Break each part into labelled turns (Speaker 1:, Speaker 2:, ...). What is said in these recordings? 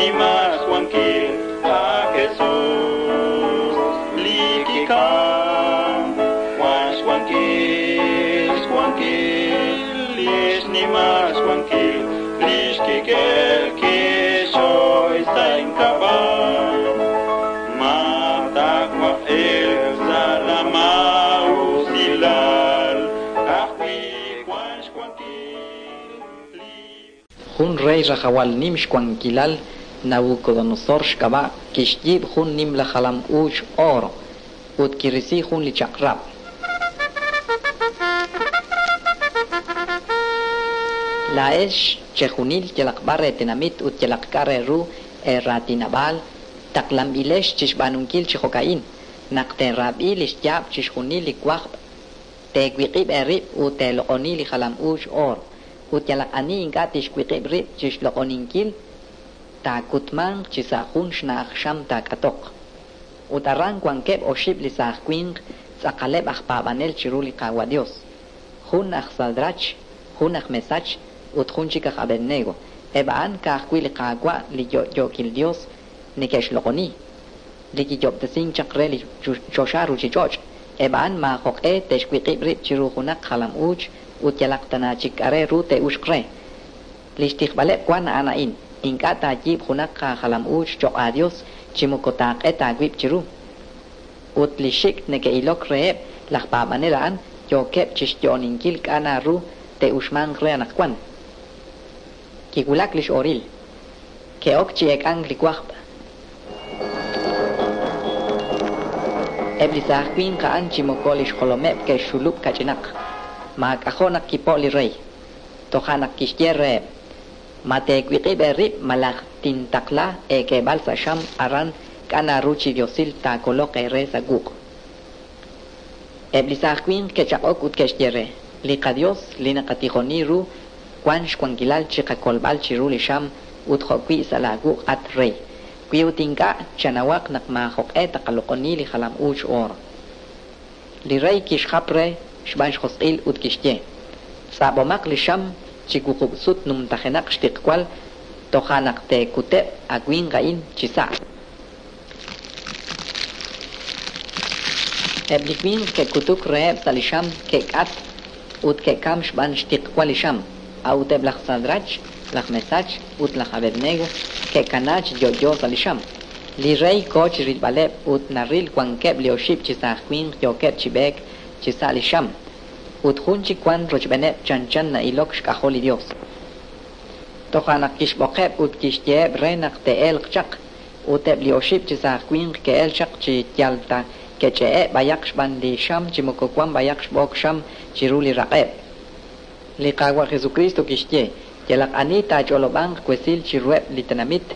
Speaker 1: xnimal xwankil a Jesús li kikam wan xwankil xwankil lix nimal xwankil lix kik'el kixoy sa' ink'ab'a' ma taawaj elk sa' la maa'usilal ka'ajwi' wan xwankil li
Speaker 2: Jun rey rajawal nim xwankilal Nabucodonosor xk'ab'a' kixyiib' jun nimla jalam-uuch oro ut kirisi jun li chaq'rab'. Laa'ex chejunil yalaq b'ar eetenamit ut yalaq k'a' re ru eeraatinab'aal taqlanb'ilex chixb'aanunkil chi jo'ka'in: naq teerab'i li xyaab' chixjunil li wajb', teewiq'ib' eerib' ut teeloq'oni li jalam-uuch oor. Ut yalaq ani ink'a' tixwiq'ib' rib' chixloq'oninkil, taakutmanq chi sa' jun xna'aj xam taak'atoq. Ut aran wankeb' oxib' li saaj winq tz'aqaleb' aj paab'anel chiru li Qaawa' Dios: jun aj Sadrach, jun aj Mesach ut jun chik aj Abednego. Eb' a'an ka'ajwi' li Qaawa' li yo'yookil Dios neke'xloq'oni, li kiyoob'tesink chaq re li choxa ruuchich'och'. Eb' a'an maajoq'e te'xwiq'ib' rib' chiru junaq jalam-uuch ut yalaq tana chik k'a' re ru te'uxq re. Li xtijb'aleb' wan a'an a'in: ink'a' taayiib' junaq aajalam-uuch cho'q aaDios chi moko taaq'et aawib' chiru. Ut li xik' neke'ilok reheb' laj paab'anel a'an yookeb' chixyo'oninkil k'a' na ru te'uxmanq re anaqwan. Kiwulak li x'oril. Ke'ok chi eek'ank li wajb'. Eb' li saaj winq a'an chi moko li xjolomeb' ke'xxulub' kach'inaq. Maak'ajo' naq kipo' li rey. Toja' naq kixye reheb': Ma teewiq'ib' eerib' malaj tintaqla eek'eeb'al sa' xam aran k'a' na ru chi diosil taakoloq eere sa' wuq'. Eb' li saaj winq ke'chaq'ok ut ke'xye re: Li qaDios li naqatijoni ru wan xwankilal chiqakolb'al chiru li xam ut jo'wi' sa' laawuq' at rey. Wi ut ink'a' chanawaq naq maajoq'e taqaloq'oni li jalam-uuch oor. Li rey kixjap re xb'aan xjosq'il ut kixye: Tz'ab'omaq li xam chi wuqub' sut numtajenaq xtiqwal toja' naq teekuteb' a winq a'in chi sa'. Eb' li winq ke'kutuk reheb' sa' li xam ke'k'at ut ke'kam xb'aan xtiqwal li xam. A'ut eb' laj Sadrach, laj Mesach ut laj Abednego ke'kana chi yo'yo sa' li xam. Li rey ko chi rilb'aleb' ut naril wankeb' li oxib' chi saaj winq yookeb' chi b'eek chi sa' li xam. Ut jun chik wan rochb'eeneb' chanchan na'ilok xk'ajol li Dios. Toja' naq kixb'oqeb' ut kixyeheb' re naq te'elq chaq. Ut eb' li oxib' chi saaj winq ke'el chaq chi yal ta ke'ch'e'e' b'ayaq xb'aan li xam chi moko wan b'ayaq xb'ook xam chiru li raq'eb'. Li Qaawa' Jesucristo kixye: Yalaq ani taach'olob'anq wesil chiruheb' li tenamit,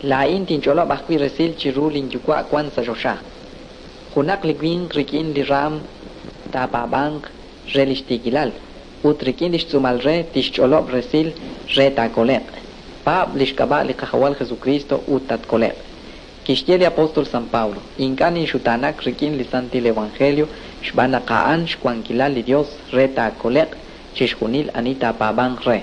Speaker 2: laa'in tinch'olob' ajwi' resil chiru linyuwa' wan sa' choxa. Junaq li winq rik'in li raam taapaab'anq re li xtiikilal, ut rik'in li xtz'uumal re tixch'olob' resil re taakole'q. Paab' li xk'ab'a' li Qajawal Jesucristo ut tatkole'q. Kixye li apóstol San Pablo: Ink'a' ninxutaanak rik'in li Santil Evangelio xb'aan naq a'an xwankilal li Dios re taakole'q chixjunil ani taapaab'anq re.